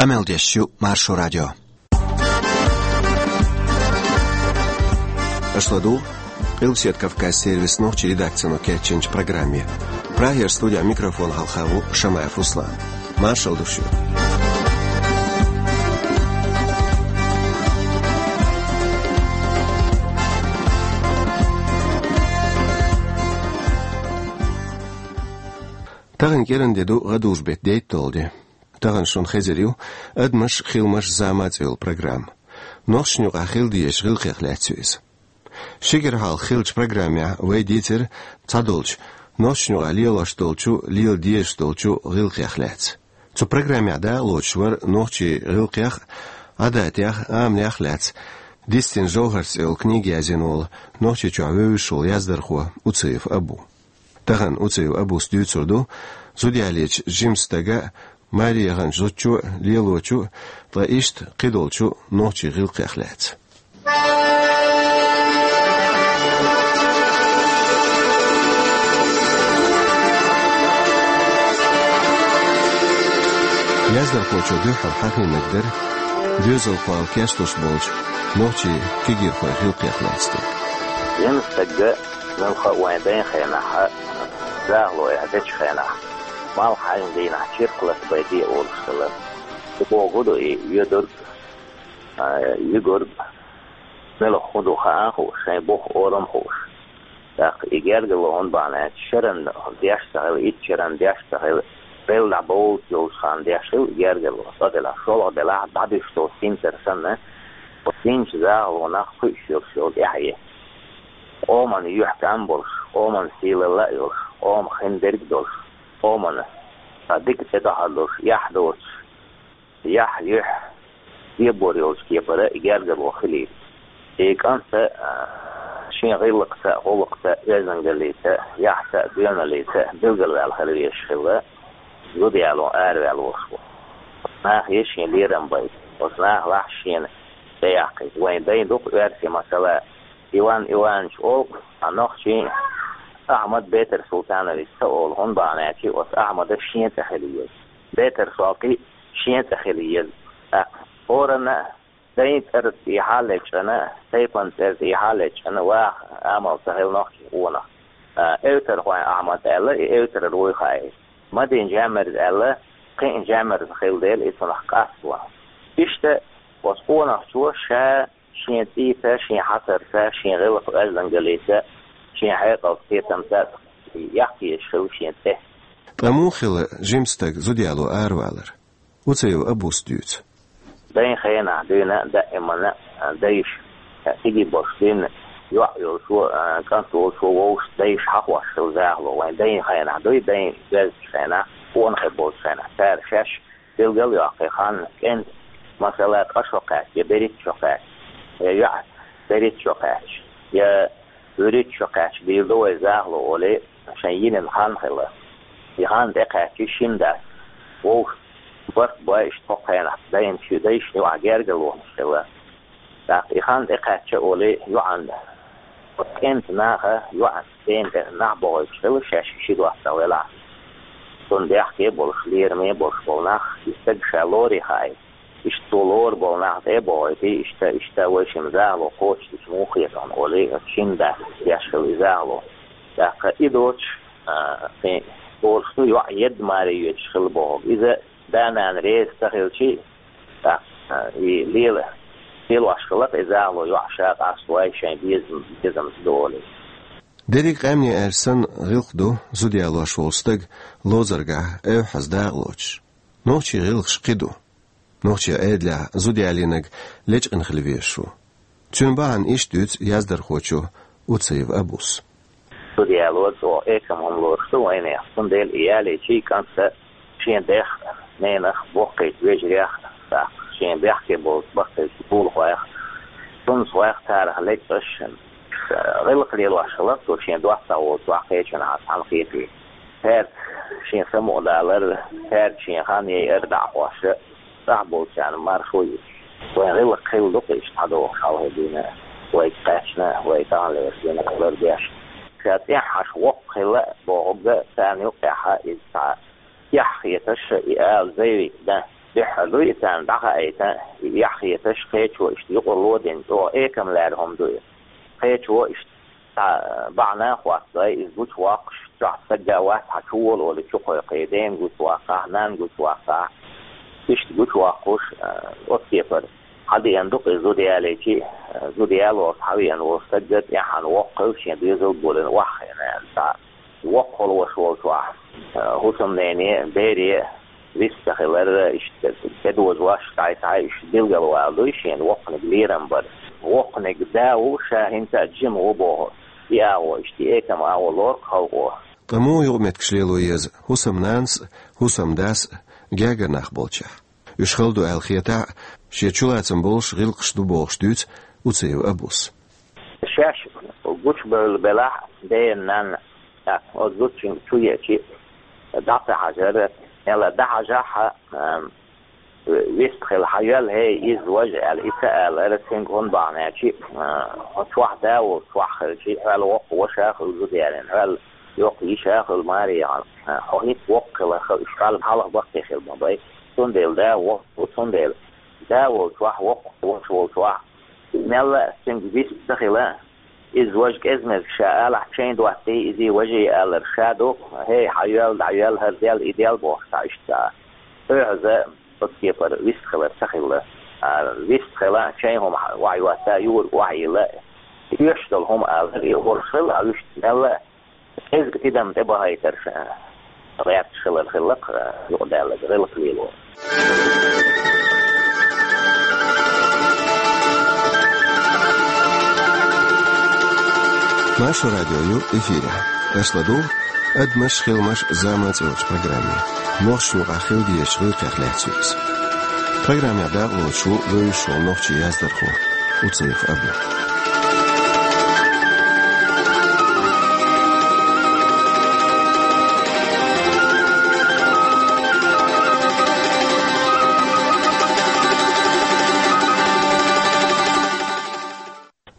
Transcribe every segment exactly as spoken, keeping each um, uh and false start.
Къамел деш ю Маршо радио. Аша ладугӀу Къилбаседа Кавказан сервисан нохчийн редакцино кечйинчу программе. Прагера студин микрофона хьалха ву Шамаев Руслан. Маршалла ду шуьга. Тахана кӀиранде ду гӀадужу-беттан дейтталгӀа де. Тахана шуна хезар ю «Адамаш, хиламаш, зама» цӀе йолу программа. Нохчашна юкъахь хила дезачу гӀиллакхех лаьцна ю иза. Ши кӀира хьалха хиллачу программехь вай дийцира цхьадолчу нохчашна юкъахь лелош долчу, лела дезаш долчу гӀиллакхех лаьцна. Цу программехь дакъалоцуш вара нохчийн гӀиллакхех а, Ӏадатех а, амалех а лаьцна «Дистина жовхӀарш» цӀе йолу книга язйина волу, Нохчийчохь вевзаш волу яздархо Уцаев Абу. Тахана Уцаев Абус дуьйцур ду зуда ялийча жимачу стага а, маре яханчу зудчо а, лелочу а, ткъа иштта кхидолчу нохчийн гӀиллакхех лаьцна. Яздархочо дуьххьара хьахийнарг дара доьзалхойн кечлуш болчу нохчийн кегийрхойн гӀиллакхех лаьцна дерг. Жима стага, муьлхха а вайн дайн хенахь, захало эхь дечу хенахь, малх хьаьжна дийнахь чиркх латабайде олуш хилла. Цу боху ду и, йоьдург, а, юьгург, муьлха хӀун ду хаа а хууш, шайн бух, орам а хууш. ТӀаккха и гергарло хӀунда бахьана аьлча, шеран деш ца хилла, итт шеран деш ца хилла, белла дӀабовлуш йолчу ханна деш хилла и гергарло, цӀа делахь, шолгӀа делахь, дӀадуьсуш долу синтар санна, оцу динчу захалонах кхуьуш йолуш йолу тӀаьхье. Къоман юьхь кӀам болуш, къоман сийлалла а йолуш, къома хин дерг а долуш, къомана дика тӀедогӀар долуш, эхь доцуш, яхь, юьхь, дебор йолчу кепара и гергарло хилийта. И кӀант а, а, шен гӀиллакхца а, гӀуллакхца а, оьздангаллица а, яхьца а, доьналлица а билгалваьлла хила везаш хилла, зуда яло араваьлла волуш ву. Нахе шен лерам байта, оцу нахалахь шена тӀеяккхийта. Вайн дайн ду-кх оьрсийн масала, Иван Иванович олу-кх, а нохчийн Ахьмад Бетар-Султанович ца олу, хӀунда бахьана аьлча оцу Ахьмада шен цӀе хила еза. Бетар-Солтан шен цӀе хила еза. ТӀаккха хӀоранна а дайн цӀера тӀехьа а лечкъина, тайпана цӀера тӀехьа а лечкъина, ваха амал ца хилла нохчийн къонах. А, Эвтархойн Ахьмад аьлла, и эвтарара вуй хаийта. Мадина Жаммирза аьлла, кхин а Жаммирза хилла дела, и цунах къасто. Иштта оцу къонахчо ша шен цӀийца, шен хьацарца, шен гӀиллакх-оьздангаллица, шен хьекъалца, кхетамца яккха езаш хилла шен цӀе. Ткъа муха хилла жима стаг зуда яло аравалар? Уцаев Абус дуьйцу. Дайн хенахь дуьйна даимана дайша, кегий болуш дуьйна йоӀ йолчо, кӀант волчо вовшашца дайша хьахош хилла захало, вайн дайн хенахь дуй, дайн доьзначу хенахь, къонахий болчу хенахь, цара шаьш билгал а йоккхий, хан, кӀентан, масала, ткъа шо кхаьчча, я берхӀитта шо кхаьчча, я йоӀ берхӀитта шо кхаьчча, я вуьрхӀитта шо кхаьчча дийр ду вай захало олий, шайн йинан хан хилла. И хан тӀекхаьчча, шина дас вовшашца барт бой, иштта кху хенахь дайна ши дайшна юкъахь гергарлонаш хилла. ТӀаккха и хан тӀекхаьчча олий, йоӀан, кӀентан наха йоӀан дена тӀе нах бохуьйтуш хилла, шаьш ши доттагӀа велахь. Цунна бехке а болуш, лераме а болуш болу нах, и стаг ша лоре хаийта. Иштта цо лора болу нах тӀе а бохуьйтий, иштта, иштта вай шимма захало кхочушдича муха хета хьуна олий, шина дас деш хилла и захало. ТӀаккха и доцуш, а, кхин, олуш ду, йоӀ едда маре йоьдуш хилла бохург. Иза да-нана реза ца хилчий, тӀаккха, а, и лела, лелош хилла-кх и захало йоӀ ша къасто, вай шайн безам-, безамца ду олий. Дерриг а къаьмнийн аьрса санна гӀиллакх ду зуда ялош волу стаг ловзаргахь эвхьаза дакъалоцуш. Нохчийн гӀиллакхаш кхин ду. Нохчийн Ӏедалехь зуда ялийнарг лечкъина хила везаш ву. Цуьнан бахьана иштта дуьйцу яздархочо Уцаев Абус. Зуда яло чӀогӀа экама хӀума лоруш ду вайнех, цундела и ялийчий кӀант а шен дех а, ненах а, боккхийчу вежарех а, тӀаккха шен бехке болчу баккхийчу гӀуллакхойх а, суннатхойх а, царах лечкъаш а, гӀиллакх лелош хилла-кх цо шен доттагӀа волчохь, кхечанхьа цхьаьна хетий. Цаьрца шен самукъадалар, цаьрца шен хан яйар дӀа а хьош, цӀахь болчарна маршо а йиташ. Вайн гӀиллакх хилла ду-кх иштта схьадогӀуш хьалхе дуьйна, вайга кхаьчна, вай таханлерчу дийнахь лардеш. Ша цӀеххьана воккха хилла а бохург а, царна юккъехь иза цхьа эхь хеташ, и ала заявить дан. дуьххьара ду и царна дӀахаийта, и эхь хеташ, кхечо иштта юкъарло а дина, чӀогӀа экам лаьрра хӀума ду и. Кхечо иштта цхьа бахьана а хоттадой, иза гучавоккхуш, чохь стаг а вац, хьан чу вола олий, чу кхойкхий, дена гучаваккхахь, нанна гучаваккхахь, иштта гучавоккхуш, а, оцу кепара. Хьан деана ду-кх иза зуда ялийча, а, зуда ялорца хьан веана волу стаг а тӀаьхьана воккха хилла, шен доьзал а болийна охьахиъна аьлла цхьа. Воккха хилла ваша волчохь, а, хӀусамнене, бере вист ца хилар, иштта тӀедожош, дӀай-схьай иштта билгалвала дуй шена воккханиг лерам бар. Воккханиг да ву, ша хӀинца а жима ву боху, и агӀо иштта, и экам агӀо лору-кх халкъо. Ткъа муха юкъаметтигаш лело еза хӀусамнанас а, хӀусамдас а гергара нах болчехь? Уьш хала ду аьлла хетахь а, шен чулацам болуш гӀиллакхаш ду бохуш дуьйцу Уцаев Абус. Шаьш гучубевлла белахь а, дена, нанна, тӀаккха оцу зудчуьнга чу еача а, дӀа ца хьажар, мелла дӀахьажахь а, ам, вист хила, хьан йоьлла, хӀей, иза, важа аьлла, и ца алар, цуьнга хӀунда бахьана аьлча, а, хьо чохь да волчохь хилча, хьол воккха ваша а хилла зуда ялийна, хьол йоккха йиша а хилла маре яхьана, а, хьо хӀинца воккха хиларх, уьш хьол хьалха баккхий хила ма бай. Цундела да воккха ву, цундела да волчохь, воккха ваша волчохь, мелла а цуьнга вист ца хила, иза важа кӀезмеза ша алахь, чайн доттий, изий, важий алар ша ду, хӀей, хьан йоьлла, дӀа йоьлла, хӀара делла, и делла бохуш цхьа иштта. ОьгӀаза оцу кепара вист хилар ца хилла. А, вист хила, чайн хӀума охьайотта, юург охьайилла, оьшуш долу хӀума алар, и хӀорш хилла, а, уьш мелла а кӀезга тидам тӀе бахийтарш гӀерташ хилар хилла-кх, юкъадаьлларг гӀиллакх лело. Маршо радио ю эфирехь. Аша ладугӀу «Адамаш, хиламаш, зама» цӀе йолчу программе. Нохчийн юкъахь хила дезачу гӀиллакхех лаьцна ю иза. Программехь дакъалоцуш ву вевзаш волу нохчийн яздархо Уцаев Абу.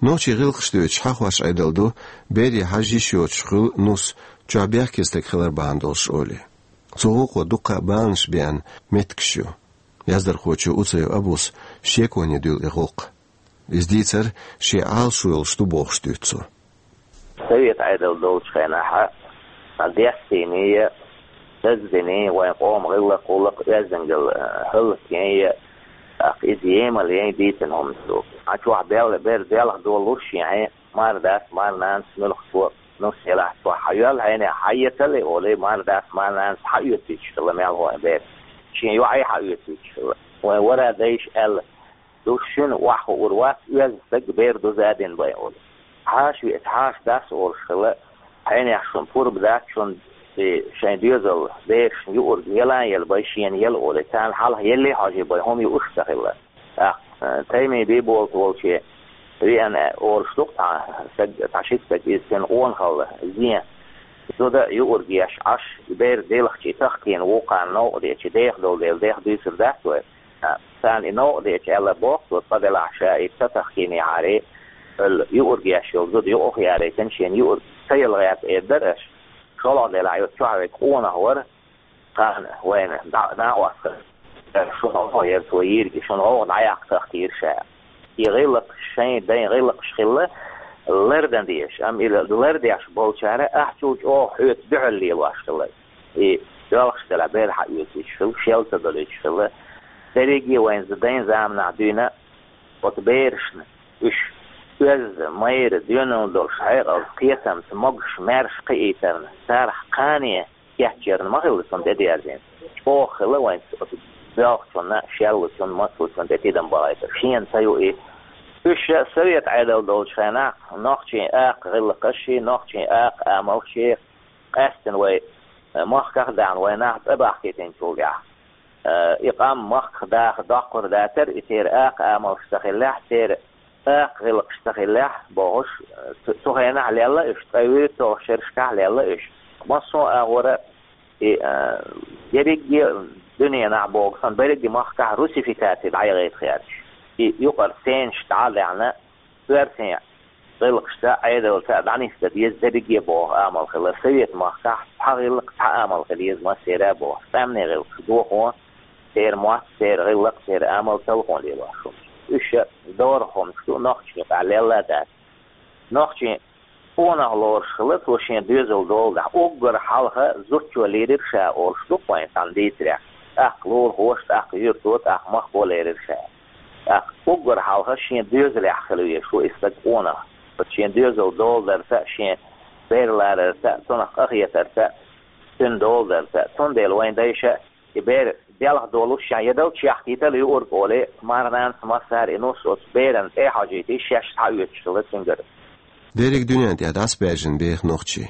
Нохчийн гӀиллакхаш доьдуш хьахош Ӏедал ду, бере хьажа йиш йоцуш хуьлу нус, чохь бехке стаг хилар бахьана долуш олий. Цу гӀуллакхо дуккха а баланаш беана меттигаш ю. Яздархочо Уцаев Абус шеконе дуьллу и гӀуллакх. Иза дийцар шен Ӏалашо йолуш ду бохуш дуьйцу цо. Совет Ӏедал долчу хенахь а, дестийний а, даздиний а, вайн къоман гӀиллакх-гӀуллакх оьздангалла, а, хӀаллакйайн а, тӀаккха иза емал яйн дийцина хӀума ду. Хьан чохь бел-, бер делха долуш шен хье, мар-дас, мар-нанас, муьлххачо нус елахь чохь хьан йоьлла хьенех, хьан ецалле олий, мар-дас, мар-нанас хьаоьцуьйтуш хилла мелхо а бер. Шен йоӀе хьаоьцуьйтуш хилла. Вайн вара дайша аьлла, ду шуна охьахуур вац, оьзда стаг бер дуза а дина бен олий. Хьаша веъца, хьаша дас олуш хилла, хьенех шуна пурба дац, шуна и шайн доьзал берашна юург яла а яла бен, шена яла олий, царна хьалха елле а хьожий бен хӀума юуш а ца хилла. ТӀаккха, э, Таймин Бийболат волче веана олуш ду-кх цхьа стаг, цхьа ши стаг, иза цуьнан къонахалла зен. Зуда а юург еш Ӏаш, и бер делхчий тахкийна вукхарна новкъа дечи, деха долу дела, деха дуьйцур дац вай. А, царна и новкъа дечи аьлла боху цо, цкъа делахь ша и ца тахкийнехьарий, хӀалла юург еш йолу зуда юкъах ярейтина, шена юург ца яла гӀерта эр дара аша. ШолгӀа делахь йоцу чохь вега къонах вара, кхана вайна дӀа-, дӀа а оскара. Шуна гӀо яра цо йийриг, шуна гӀовгӀа дӀаяккха тахкийра ша. И гӀиллакхаш, шайн дайн гӀиллакхаш хилла, лардан дезаш, амма и лардеш болчара ахчул чӀогӀа хьоьца дуьхьал лелош хилла. И доьлхуш делахь бер хьаоьцуьйтуш хилла, шел ца долуьйтуш хилла. Дерриге а вайн дайн заманахь дуьйна оцу берашна уьш оьзда, майра, доьналла долуш, хьекъалца, кхетамца, могуш, маьрша кхиийтарна, царах кхане кечъярна ма хилла цунна тӀедерзийна. ЧӀогӀа хилла вайн оцу боьлхучунна, шеллачунна, мацлучунна тӀе тидам бахийтар. Шена ца ю и. Уьш совет Ӏедал долчу хенахь нохчийн акха гӀиллакхашший, нохчийн акха амалшший къаьстина вай, э, махках а даьхна, вай нах цӀа бахкийтинчул тӀаьхьа. Э, и къам махках даха доккхур дацара, и церан акха амалш ца хиллехь, церан акха гӀиллакхаш ца хиллехь, бохуш, цу, цу хенахь лелла уьш, ткъе вуьрхӀитталгӀачу шерашкахь лелла уьш. Массо а агӀора и, а, ерриге а дуьненахь боху санна, берриге а махкахь русификаци дӀаяхийта гӀерташ. И юкъара ценаш дӀа а лаьхна, оьрсийн гӀиллакхашца а, Ӏедалца а дӀанисдан деза дерриге а боху амал хилла. Совет махкахь цхьа гӀиллакх, цхьа амал хила еза массеран а боху. ЦӀаьмнийн гӀиллакхаш дохо, Церан мотт, церан гӀиллакх, церан амал талхоне лелош хӀумаш. Уьш дорах хӀумаш ду, нохчийн юкъахь лелла а дац. Нохчийн къонах лоруш хилла, цо шен доьзал долу дахь, уггар хьалха зудчо лийрира ша олуш ду-кх вайн цхьана дийцарехь. ТӀаккха лулахоша, тӀаккха юьрто, тӀаккха махко лерира ша. ТӀаккха уггар хьалха шен доьзалехь хила везаш ву и стаг къонах. Оцу шен доьзал доладарца а, шен бер ларарца а, цунах къахетарца а, цуьнан доладарца а. Цундела вайн дайша и бер белха долуш шен я дал чехкийтал юург олий, мархананас массара и нус оцу беран тӀе а хьожуьйтий, шаьш схьаоьцуш хилла цуьнгара. Дерриг дуьнен тӀехь дӀасабаьржина беха нохчий.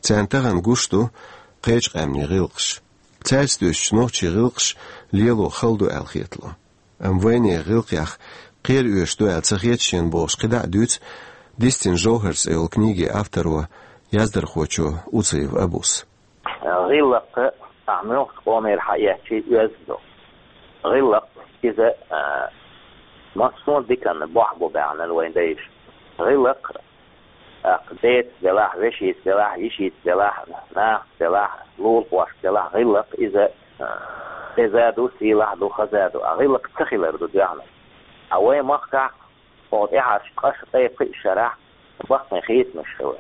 Царна тахана гуш ду кхечу къаьмнийн гӀиллакхаш. Цаьрца дуьстича нохчийн гӀиллакхаш лело хала ду аьлла хетало. Амма вайнехан гӀиллакхех кхера оьшуш ду аьлла ца хета шена бохуш кхидӀа а дуьйцу «Дистина жовхӀар» цӀе йолу книгин авторо, яздархочо Уцаев Абус. ГӀиллакх, ахь муьлххачу къомера хьаэцчий, оьзда ду. ГӀиллакх иза, а, массо а диканна бохь бу баьхна вайн дайша. ГӀиллакх, тӀаккха деца делахь, вешица делахь, йишица делахь, нахаца делахь, лулахошца делахь, гӀиллакх иза, а, деза ду, сийлахь ду, хаза ду, а гӀиллакх ца хилар ду доьхна. А вайн махкахь оха тӀаьхьарчу ткъа, ткъе пхи шарахь баккхий хийцамаш хилла.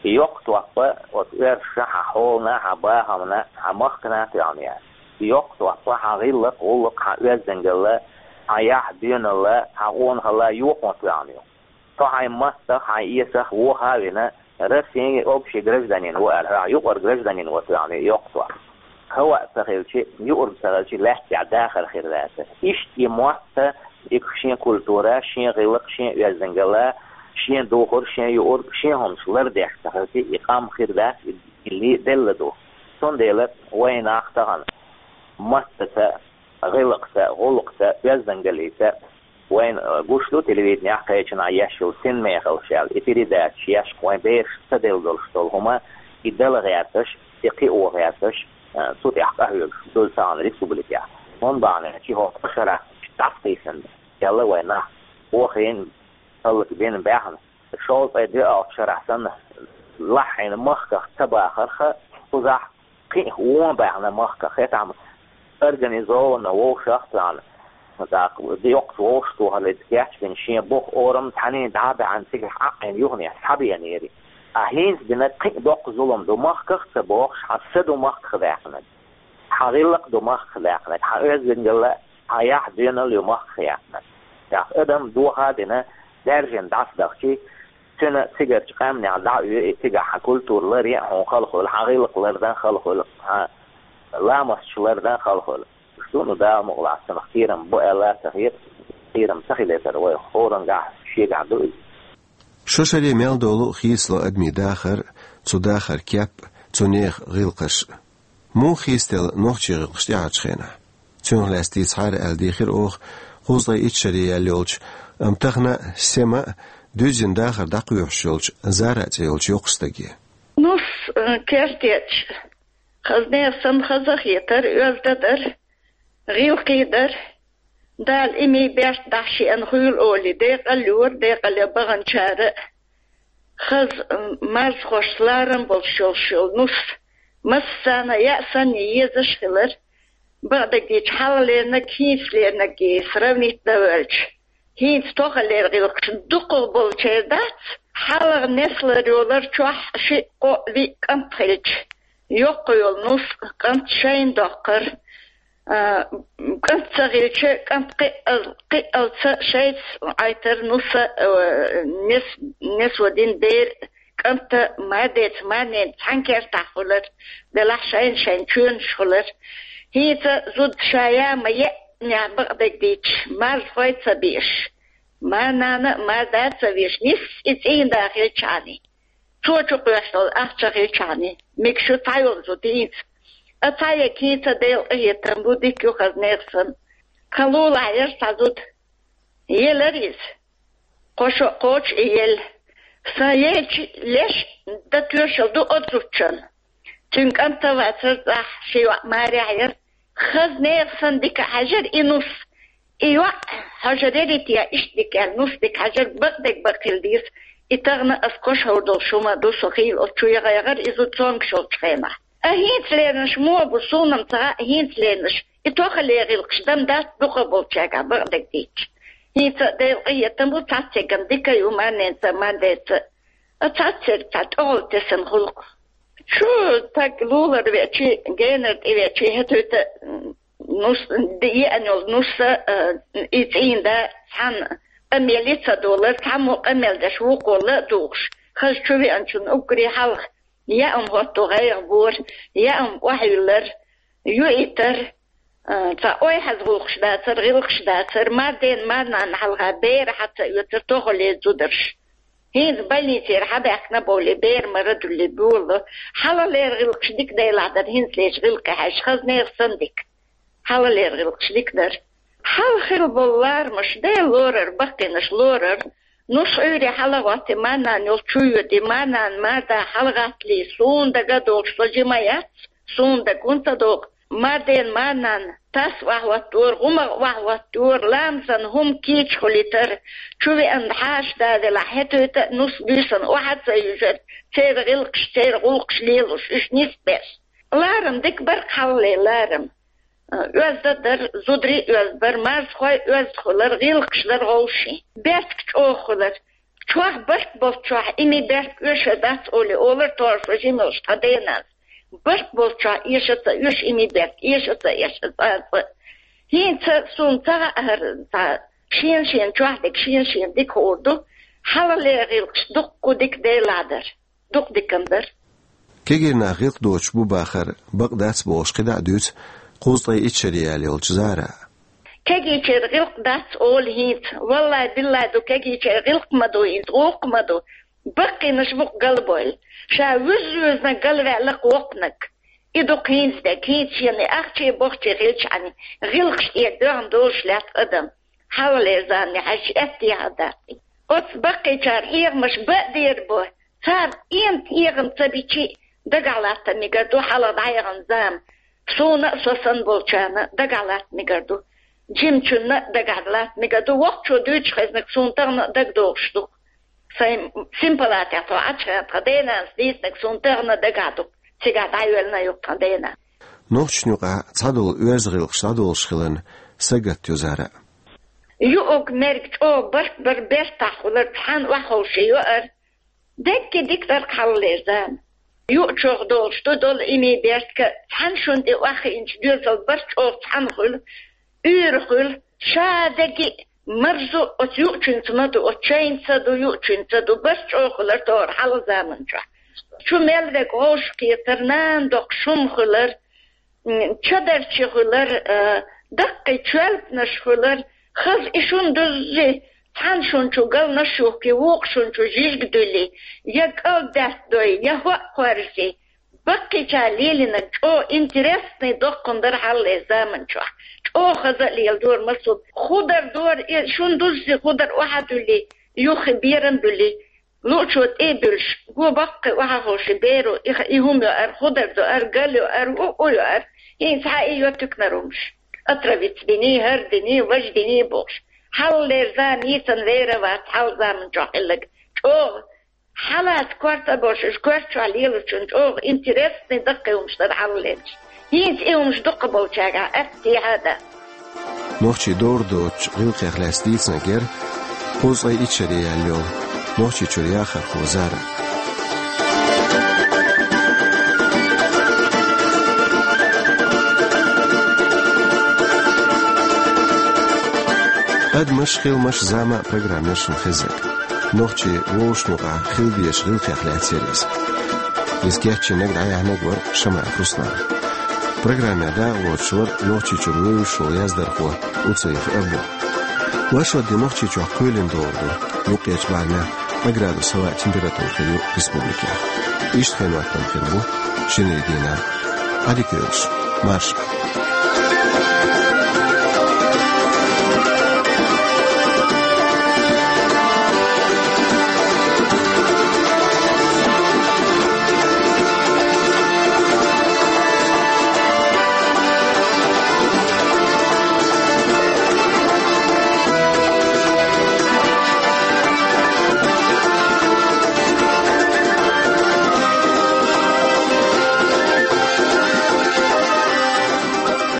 И йоккха топ оцу оьрсашна, хьан хьолана, хьан бахамна, хьан махкана а тоьхна яц. И йоккха топ хьан гӀиллакх, гӀуллакх, хьан оьздангалла, хьан яхь, доьналла, хьан къонахалла йохо тоьхна ю. Со хьайн маттах, хьайн эсах вохо а вина, Россин общий гражданин ву аьлла, хьоьгахь юкъара гражданин ву тоьхна ю йоккха топ. ХӀаваъ ца хилчи, юург ца хилчи, лаьттехь дахар хир дацара. Иштта и мотт, и шен культура, шен гӀиллакх, шен оьздангалла, шен духар, шен юург, шен хӀумаш лардеш ца хилчи, и къам хир дац, и, и ли-, делла ду. Цундела вайн нах тахана маттаца, гӀиллакхца, гӀуллакхца, оьздангаллица, вайна, э, гуш ду телевиденехь кхечанхьа еш йолу «Синмехалла» аьлла, и передачаш еш, вайн бераш ца делла долуш долу хӀума, и дала гӀерташ, и кхио гӀерташ, э, цу тӀехь къахьоьгуш ду цхьана республикехь. ХӀунда бахьана аьлча, хӀокху шарахь дӀасакхийсина, аьлла вайн нах, охийна, хӀаллакбина баьхна, шовзткъе доьалгӀачу шарахь санна, лахьийна махках ца бахарх, кхузахь кхин а вон баьхна махках, хӀетахь организованно вовшах а тоьхна, тӀаккха йоккхачу вовшахтохаллица кечбина шен бух, орам цхьаьний дӀа а баьхьна, цигахь Ӏаьнна юханехь схьабеанера. Ткъа хӀинца бина кхин а доккха зулам ду махках а ца бохуш, хьан са ду махках даьккхинарг, хьан гӀиллакх ду махках даьккхинарг, хьан оьздангалла, хьан яхь, доьналла ю махках яьккхинарг. ТӀаккха адам доха а дина, даьржина дӀасадахчий, цуьнан цигарчу къаьмнех дӀа а оь, и цигахь хьан культура ларъян а хьуна хала хуьлу, хьан гӀиллакх лардан а хала хуьлу, хьан ламасташ лардан а хала хуьлу. Уьш ду, ну, Дала мукъалахь, цунах кхерам бу аьлла а ца хета, кхерам ца хилийтар вай хӀораннехь шегахь ду иза. Шо шаре мел долу а хийцало адамийн дахар, цу дахаран кеп, цу нехан гӀиллакхаш. Муха хийцаделла нохчийн гӀиллакхаш тӀаьхьарчу хенахь? Цунах лаьцна дийцахьара аьлла дийхира оха кхузткъе итт шаре яьлла йолчу, амма тахана а, сема а дуьззина дахар дӀакхоьхьуш йолчу Зара цӀе йолчу йоккхачу стаге. Нус, э, кертечу, хаза нехан санна хаза а хетара, оьзда а дара, гӀиллакхий а дара. Дала имий, берт дахьа шиъна хуьйла олий, декъал а йора, декъал а ян баханчара а. Хаза, м, марзхошца ларам болуш йолуш йолу нус, массарна яа санна езаш а хилар, бакъдерг дийцича, хьалха леринарг, хӀинца леринарг сравнить дан воьлча, хӀинца тохалера гӀиллакхаш дукхах болчеран дац, хьалха несла йолар чохь шиъ, кхоъ, виъ кӀант хилча, йоккха йолу нус, кӀант шайна доккхура, а, кӀант ца хилча, кӀант кхиъал-, кхиъалца шайца Ӏайтар нуса, а, нес-, несо дина бер, кӀанта мардеца, марнеца цхьана кертахь хуьлар, делахь шайна-шайна чоьнаш хуьлар. ХӀинца зуда ша яа ма еънехь, бакъдерг дийцича, марзхой а ца беш, марнана а, марда а ца веш, нисса и цӀийнда хилчахьаний, цо чу кхоьссина долу ахча хилчахьаний, мегаш ю цхьайолчу зуда хӀинца. Ткъа цхьа ерг хӀинца Делан къинхетам бу, дика ю хаза нехан санна. Тхан лулахь яра цхьа зуда. Елара иза. Кхо шо а кхочуш и елла. Сан елча леш дан тоьшалла ду оцу зудчун. Цуьнан кӀант а вацара цӀахь, шен йоӀ марехь яра. Хаза нехан санна дика хьаьжира и нус. И йоӀ хьожур ярий те, иштта дика аьлла, нус дика хьаьжира, бакъдерг бакъ хила деза. И тахана ас кхоьруш долуш хӀума ду, со хийла оцу чу яха-яхара, иза цомгуш йолчу хенахь. А хӀинца леринарш муха бу, суна-м ца хаьа, хӀинца леринарш. И тохале гӀиллакхаш дам дац дукхагӀболчаьргахь бакъдерг дийцча. ХӀинца а Делан къинхетам бу, цхьаццаерг-м дика ю, марненца а, марнеца а. А цхьаццаерг цхьа тӀехула тесна гӀуллакх. Чу стаг лулара веача, генара тӀе веача, хӀетта-хӀетта, м, нус, д-, еана йолу нус а, э, и цӀийнда цхьана къамел ца долура, цхьаммо къамел деш вукхо ла а дугӀуш, хаза чу веанчунна уггаре хьалха яа хӀотто гӀайгӀа бора, яа охьайиллара, юийтара, а, цхьа ойхьаза гӀуллакхаш дацара, гӀиллакхаш дацара, марден марнанна хьалха бер хьа ца оьцура тохале зударша. ХӀинца больницера хьабаьхкина бовлий, бер мара дуьллий болу. Хьалхалера гӀиллакхаш дика делахь дара, хӀинцалерчу гӀиллакхе хьаьжча, хаза нехан санна дика. Хьалхалера гӀиллакхаш дика дара. Хьалха хилла болу ларамаш Дела лорар, баккхийнаш лорар. Нус Ӏуьйре хьала а гӀоттий, марнанна йолу чу а йоьдий, марнанна марда хьалагӀаттале, суна дага а догӀуш, со жима яц, суна дага хӀунда ца догӀу. Марден марнанна тас охьахӀоттора, гӀумагӀ охьахӀоттора, ламазан хӀума кийча хуьлуьйтара, чу веана хьаша да велахь, хӀетта-хӀетта а нус буьйсанна охьа а ца юьжура, церан гӀиллакхаш, церан гӀуллакхаш лелош, уьш нисбеш. Ларам дика бара-кх хьалхале ларам. Оьзда дара, зударий а оьзда бара, марзхой а оьзда хуьлура, гӀиллакхаш дара гӀовший. Берташ чӀогӀа хуьлура. Чохь барт болчохь имий берт оьшур дац олий, олура тхо, со жима йолуш тхан денас. Барт болчохь эша ца оьшу имий берт, эша ца эша цкъа а. ХӀинца суна ца хаьара, цхьа шена-шена чохь дерг шена-шена дика хуур ду, хьалхалера гӀиллакхаш дуккха дика делахь дара. Дукха дика-м дара. Кегий нах гӀиллакх доцуш бу бахар бакъ дац бохуш кхидӀа а дуьйцу кхузткъе итт шаре яьлла йолчу Зара. Кегийчера гӀиллакх дац олу хӀинца. Валлай-биллай ду, кегийчера гӀиллакх ма ду хӀинца, гӀуллакх ма ду. Баккхийнаш бу-кх галбевлла. Ша вуьзна-вуьзна галваьлла-кх воккханиг. И ду-кх хӀинца дерг, хӀинца шена и ахчий-бохчий хилчахьана, гӀиллакхаш тӀера доьгӀна долуш лаьтта адам. Хьалхалера замане хьаьжча, аьттехьа дац. Оцу баккхийчара хьехамаш бан а дер бу. Цара кӀентан хьехам ца бичи а, дагахь латта мегар ду хьалха дӀаяхана зама. Суна а, со санна болчарна а дагахь латта мегар ду. Жимачунна а дагахь латта мегар ду. Воккхачо дуьйцуш хезнарг суна тахана а дагадогӀуш ду. Сайн синпалатехь тхо Ӏачхьана тхан денанас дийцинарг суна тахана а дагахь ду. Цигахь дӀайоьллина ю-кх тхан денан. Нохчашна юкъахь цхьадолу оьзда гӀиллакхаш дӀадолуш хиларна сагатта ю Зара. Юург-мерг чӀогӀа барт бара, бертахь хуьлура, цхьаьна охьаховший йоура. Дерриге дика дара-кх хьалхалера зама. Юучух долуш ду долу имий берт-ка, цхьана шуна тӀе охьахиъначу доьзал барт чӀогӀа цхьаьна хуьлу, уьйр хуьлу, ша дерриге а марзо оцу юучуьнца ма ду, оцу чайна ца ду, юучуьнца ду, барт чӀогӀа хуьлура тохара хьалха заман чохь. Чу мел верг вовшахкхетара, нана доккхуш хӀума хуьлура, м, чадарчий хуьлура, а, даккхий чоьлпанаш хуьлура, хаза и шуна дуззи, цхьана шуна чу галнаш юхкий, вукху шуна чу жижиг дуьллий, я кӀал даьттадой, я хӀоа кхорзий. Баккхийчара лелийнарг чӀогӀа интересный доккхун дара хьалхалера заман чохь. ЧӀогӀа хаза а леладора массо а. Худар дора, и шуна дуззи худар охьа а дуьллий, юххе берам а буьллий. Луучо тӀе а буьллуш, го баккхий охьаховший беро, и ха-, и хӀума йоура, худар доура, гал йоура, у, у йоура, хӀинца хьа и йо туьканара хӀумаш. Отравиться диний, хӀара диний, важа диний бохуш. Хьалхалера зама йийцина вер а вац хьалха заман чохь хилларг. ЧӀогӀа хьалаца корта а болуш, уьш коьрта чохь лелачунна чӀогӀа интересный даккхий хӀумаш дара хьалхалерчу. ХӀинца и хӀумаш дукхахболчаьргахь аьттехьа а дац. Нохчийн догӀма доцучу гӀиллакхех лаьцна дийцинарг яра кхузткъе итт шаре яьлла йолу Нохчийчуьра яхархо Зара. «Адамаш, хиламаш, зама» программа яра шуна хезнарг. Нохчийн вовшашна юкъахь хила дезачу гӀиллакхех лаьцна яра иза. Иза кечйинарг, дӀаяьхьнарг вара Шамаев Руслан. Программехь дакъалоцуш вара Нохчийчуьра вевзаш волу яздархо Уцаев Абдул. Вайшимма де Нохчийчохь кхоьлина догӀур ду, юккъерчу барамехь ткъа градус хӀаваан температура хир ю республикехь. Иштта хенан хӀоттам хир бу шинарин дийнахь. Ӏадика йойла шун, марша Ӏа.